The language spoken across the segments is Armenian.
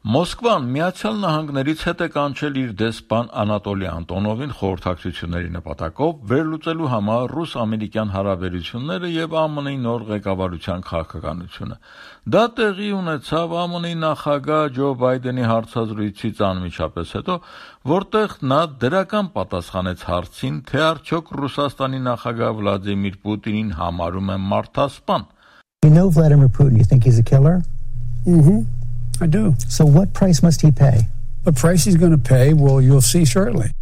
Մոսկվան Միացյալ Նահանգներից հետ է կանչել իր դեսպան Անատոլի Անտոնովին խորհրդակցությունների նպատակով վերլուծելու համար ռուս-ամերիկյան հարաբերությունները եւ ԱՄՆ-ի նոր ղեկավարության քաղաքականությունը։ Դա տեղի ունեցավ ԱՄՆ-ի նախագահ Ջո Բայդենի հարցազրույցից անմիջապես հետո, որտեղ նա դրական պատասխանեց հարցին, թե արդյոք Ռուսաստանի նախագահ Վլադիմիր Պուտինին համարում է մարդասպան։ You know Vladimir Putin, you think he's a killer? I do. So what price must he pay? The price he's going to pay, well, you'll see shortly.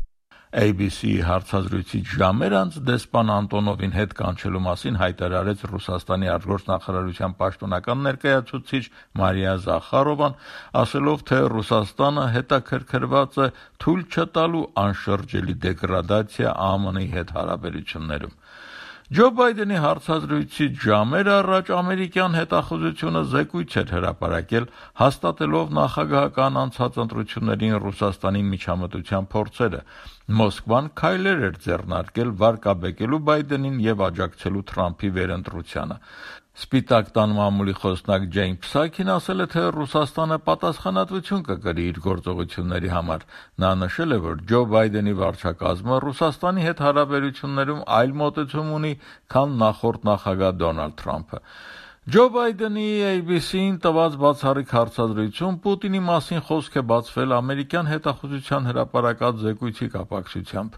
ABC հարցազրույցից ժամեր անց դեսպան Անտոնովին հետ կանչելու մասին հայտարարեց Ռուսաստանի արտգործնախարարության պաշտոնական ներկայացուցիչ Մարիա Զախարովան, ասելով, թե Ռուսաստանը հետաքրքրված է թույլ չտալու անշրջելի դեգրադացիա ԱՄՆ-ի հետ հարաբերություններում։ Ջո Բայդենի հարցազրույցից ժամեր առաջ ամերիկյան հետախուզությունը զեկույց էր հրապարակել, հաստատելով նախագահական անցած ընտրություններին Ռուսաստանի միջամտության փորձերը։ Մոսկվան քայլեր էր ձեռնարկել վարկաբեկելու Բայդենին եւ աջակցելու Թրամփի վերընտրությանը։ Սպիտակ տան մամուլի խոսնակ Ջեյն Փսակին ասել է, թե Ռուսաստանը պատասխանատվություն կկրի իր գործողությունների համար։ Նա նշել է, որ Ջո Բայդենի վարչակազմը Ռուսաստանի հետ հարաբերություններում այլ մոտեցում ունի, քան նախորդ նախագահ Դոնալդ Թրամփը։ Ջո Բայդենի ABC-ին տված բացառիկ հարցազրույցում Պուտինի մասին խոսք է բացվել ամերիկյան հետախուզության հրապարակած զեկույցի կապակցությամբ։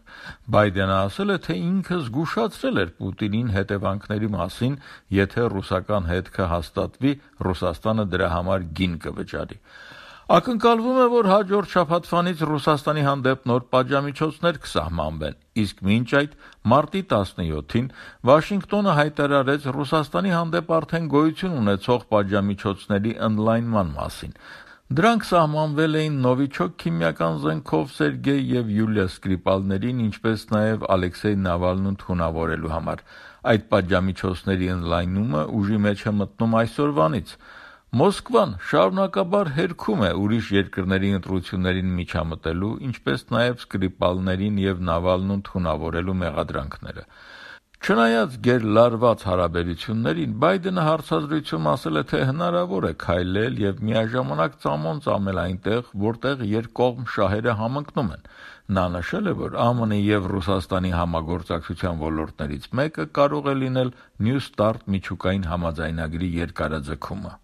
Բայդենը ասել է, թե ինքը զգուշացրել էր Պուտինին հետևանքների մասին, եթե ռուսական հետքը հաստատվի, Ռուսաստանը դրա համար գին կվճարի։ Ակնկալվում է, որ հաջորդ շաբաթվանից Ռուսաստանի հանդեպ նոր պատժամիջոցներ կսահմանվեն, իսկ մինչ այդ մարտի 17-ին Վաշինգտոնը հայտարարեց Ռուսաստանի հանդեպ արդեն գոյություն ունեցող պատժամիջոցների ընդլայնման մասին։ Դրանք սահմանվել էին Նովիչոկ քիմիական զենքով Սերգեյ եւ Յուլիա Սկրիպալներին, ինչպես նաեւ Ալեքսեյ Նավալնուն թունավորելու համար։ Այդ պատժամիջոցների ընդլայնումը ուժի մեջ է մտնում այսօրվանից։ Մոսկվան շարունակաբար հերքում է ուրիշ երկրների ընտրություններին միջամտելու, ինչպես նաև Սկրիպալներին եւ Նավալնուն թունավորելու մեղադրանքները։ Չնայած գերլարված հարաբերություններին, Բայդենը հարցազրույցում ասել է, թե հնարավոր է քայլել եւ միաժամանակ ծամոն ծամել այնտեղ, որտեղ երկկողմ շահերը համընկնում են։ Նա նշել է, որ ԱՄՆ-ի եւ Ռուսաստանի համագործակցության ոլորտներից մեկը կարող է լինել New START միջուկային համաձայնագրի երկարաձգումը։